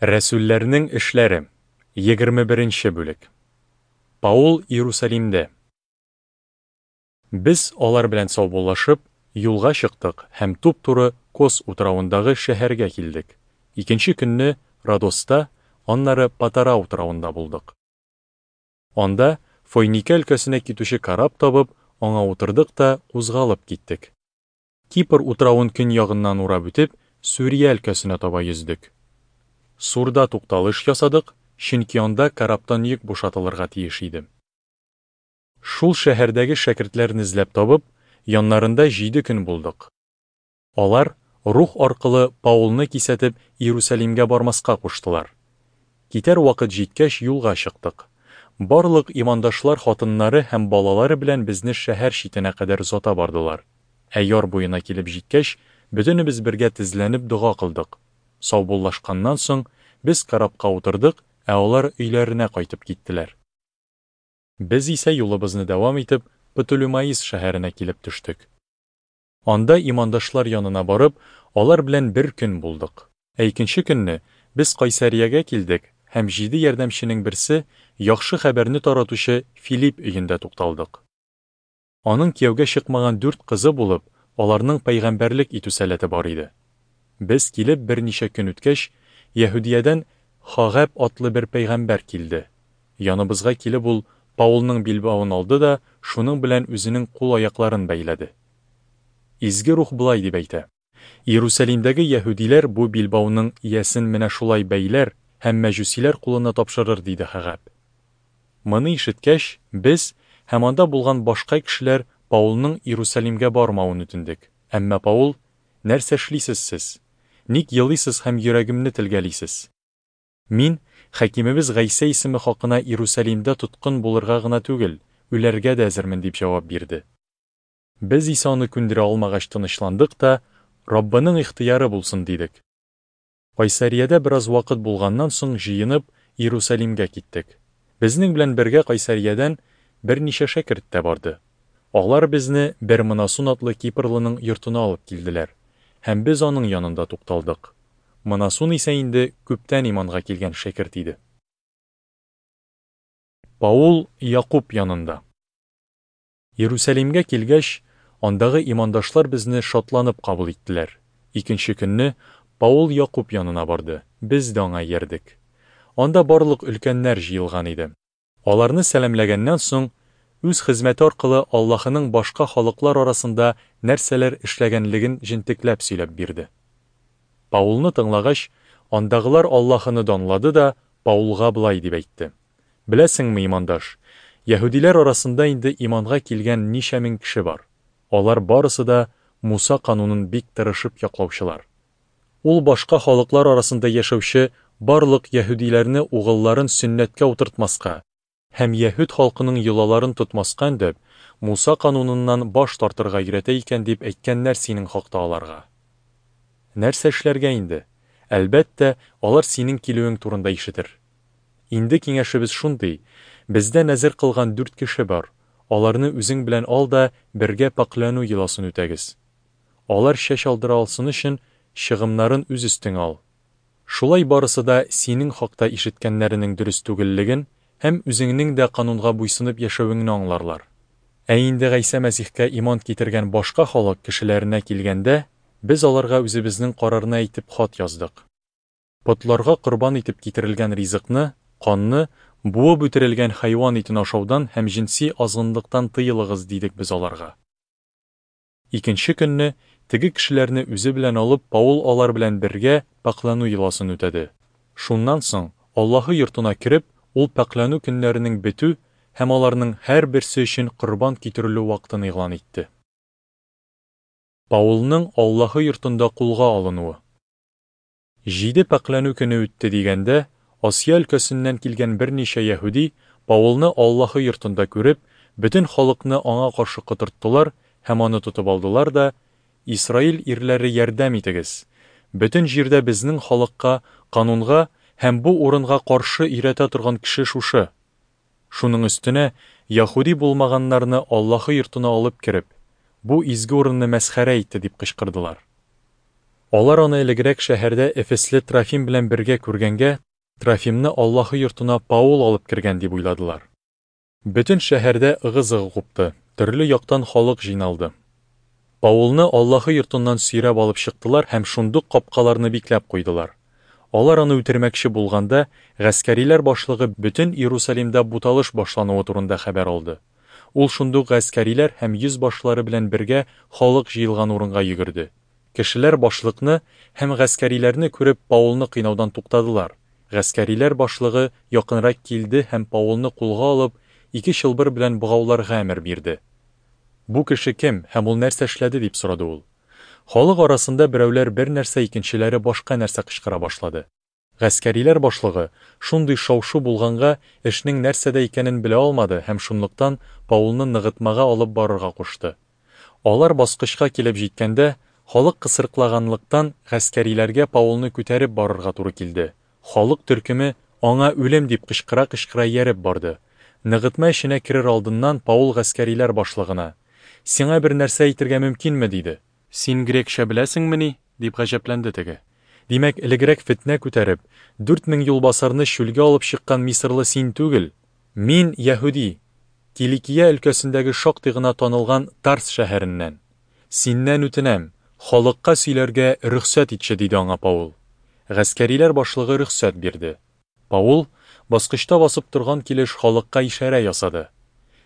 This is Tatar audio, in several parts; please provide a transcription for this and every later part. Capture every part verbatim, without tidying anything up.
Рәсүлләрнең эшләре, егерме беренче бүлек. Паул Иерусалимдә. Без алар белән саубуллашып, юлга чыктык һәм туп-туры Кос утравындагы шәһәргә килдек. Икенче көнне Родоста, аннары Патара утравында булдык. Анда Фойникә өлкәсенә китүче кораб табып, аңа утырдык та кузгалып киттек. Кипр утравын көньягыннан урап үтеп, Сүрия өлкәсенә таба йөздек. Сурда тукталыш ясадык, чөнки анда корабтан йөк бушатылырга тиеш иде. Шул шәһәрдәге шәкертләрне эзләп табып, яннарында җиде көн булдык. Алар Рух аркылы Паулны кисәтеп, Иерусалимгә бармаска куштылар. Китәр вакыт җиткәч, юлга чыктык. Барлык имандашлар хатыннары һәм балалары белән безне шәһәр читенә кадәр озата бардылар. Ә яр буена килеп җиткәч, бөтенебез бергә тезләнеп дога кылдык. Саубуллашканнан соң, без корабка утырдык, ә алар өйләренә кайтып киттеләр. Без исә юлыбызны дәвам итеп, Птолемаис шәһәренә килеп төштек. Анда имандашлар янына барып, алар белән бер көн булдык. Ә икенче көнне без Кайсариягә килдек һәм җиде ярдәмченең берсе, яхшы хәбәрне таратучы Филипп өендә тукталдык. Аның кияүгә чыкмаган дүрт кызы булып, аларның пәйгамбәрлек итү сәләте бар иде. Без килеп берничә көн үткәч, Яһүдиядән Хагәб атлы бер пәйгамбәр килде. Яныбызга килеп ул Паулның билбавын алды да, шуның белән үзенең кул-аякларын бәйләде. Изге Рух болай дип әйтә: Иерусалимдәге яһүдиләр бу билбауның иясен менә шулай бәйләр һәм мәҗүсиләр кулына тапшырыр, диде Хагәб. Моны ишеткәч, без һәм анда булган башка кешеләр Паулның Иерусалимгә бармавын үтендек. Әмма Паул: Нәрсә эшлисез сез? Ник елыйсыз һәм йөрәгемне телгәлисез? Мин Хакимебез Гайсә исеме хакына Иерусалимдә тоткын булырга гына түгел, үләргә дә әзермен, дип җавап бирде. Без исә аны күндерә алмагач тынычландык та, Раббының ихтыяры булсын, дидек. Кайсариядә бераз вакыт булганнан соң җыенып, Иерусалимгә киттек. Безнең белән бергә Кайсариядән берничә шәкерт тә барды. Алар безне бер Мнасун атлы кипрлының йортына алып килделәр, һәм без аның янында тукталдык. Мнасун исә инде күптән иманга килгән шәкерт иде. Паул Якуб янында. Иерусалимгә килгәч, андагы имандашлар безне шатланып кабул иттеләр. Икенче көнне Паул Якуб янына барды, без дә аңа иярдек. Анда барлык өлкәннәр җыелган иде. Аларны сәламләгәннән соң, үз хезмәте аркылы Аллаһының башка халыклар арасында нәрсәләр эшләгәнлеген җентекләп сөйләп бирде. Паулны тыңлагач, андагылар Аллаһыны данлады да, Паулга болай дип әйтте: Беләсеңме, имандаш, яһүдиләр арасында инде иманга килгән ничә мең кеше бар. Алар барысы да Муса канунын бик тырышып яклаучылар. Ул башка халыклар арасында яшәүче барлык яһүдиләрне угылларын сөннәткә утыртмаска һәм яһүд халкының йолаларын тотмаска өндәп, Муса кануныннан баш тартырга өйрәтә икән дип әйткәннәр синең хакта аларга. Нәрсә эшләргә инде? Әлбәттә, алар синең килүең турында ишетер. Инде киңәшебез шундый: бездә нәзер кылган дүрт кеше бар. Аларны үзең белән ал да бергә пакьләнү йоласын үтәгез. Алар чәч алдыра алсын өчен чыгымнарын үз өстеңә ал. Шулай барысы да синең хакта ишеткәннәренең дөрес түгеллеген һәм үзеңнең дә канунга буйсынып яшәвеңне аңларлар. Ә инде Гайсә Мәсихкә иман китергән башка халык кешеләренә килгәндә, без аларга үзебезнең карарны әйтеп хат яздык. Потларга корбан итеп китерелгән ризыкны, канны, буып үтерелгән хайван итен ашаудан һәм җенси азгынлыктан тыелыгыз, дидек без аларга. Икенче көнне теге кешеләрне үзе белән алып, Паул алар белән бергә пакьләнү йоласын үтәде. Шуннан соң Аллаһы йортына кереп, ул пакьләнү көннәренең бетү һәм аларның һәрберсе өчен корбан китерелү вакытын игълан итте. Паулның Аллаһы йортында кулга алынуы. Җиде пакьләнү көне үтте дигәндә, Асия өлкәсеннән килгән берничә яһүди Паулны Аллаһы йортында күреп, бөтен халыкны аңа каршы котырттылар һәм аны тотып алдылар да: Исраил ирләре, ярдәм итегез! Бөтен җирдә безнең халыкка, канунга һәм бу урынга каршы өйрәтә торган кеше шушы. Шуның өстенә яһүди булмаганнарны Аллаһы йортына алып кереп, бу изге урынны мәсхәрә итте, дип кычкырдылар. Алар аны элегрәк шәһәрдә эфесле Трофим белән бергә күргәнгә, Трофимны Аллаһы йортына Паул алып кергән дип уйладылар. Бөтен шәһәрдә ыгы-зыгы купты, төрле яктан халык җыйналды. Паулны Аллаһы йортыннан сөйрәп алып чыктылар һәм шундук капкаларны бикләп куйдылар. Алар аны үтермәкче булганда, гаскәриләр башлыгы бөтен Иерусалимда буталыш башлануы турында хәбәр алды. Ул шундук гаскәриләр һәм йөзбашлары белән бергә халык җыелган урынга йөгерде. Кешеләр башлыкны һәм гаскәриләрне күреп Паулны кыйнаудан туктадылар. Гаскәриләр башлыгы якынрак килде һәм Паулны кулга алып, ике чылбыр белән богауларга әмер бирде. Бу кеше кем һәм ул нәрсә эшләде, дип сорады ул. Халык арасында берәүләр бер нәрсә, икенчеләре башка нәрсә кычкыра башлады. Гаскәриләр башлыгы, шундый шау-шу булганга, эшнең нәрсәдә икәнен белә алмады һәм шунлыктан Паулны ныгытмага алып барырга кушты. Алар баскычка килеп җиткәндә, халык кысрыклаганлыктан гаскәриләргә Паулны күтәреп барырга туры килде. Халык төркеме аңа үлем дип кычкыра-кычкыра ияреп барды. Ныгытма эченә керер алдыннан Паул гаскәриләр башлыгына: "Сиңа бер нәрсә әйтергә мөмкинме?" – диде. "Син грекча беләсеңмени?" – дип гаҗәпләнде теге. "Димәк, элегрәк фетнә күтәреп, дүрт мең юлбасарны чүлгә алып чыккан мисырлы син түгел? Мин яһүди, Киликия өлкәсендәге шактый гына танылган Тарс шәһәреннән. Синнән үтенәм, халыкка сөйләргә рөхсәт итче", диде аңа Паул. Гаскәриләр башлыгы рөхсәт бирде. Паул баскычта басып торган килеш халыкка ишарә ясады.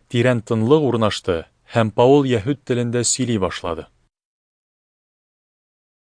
Тирән тынлык урнашты, һәм Паул яһүд телендә сөйли башлады.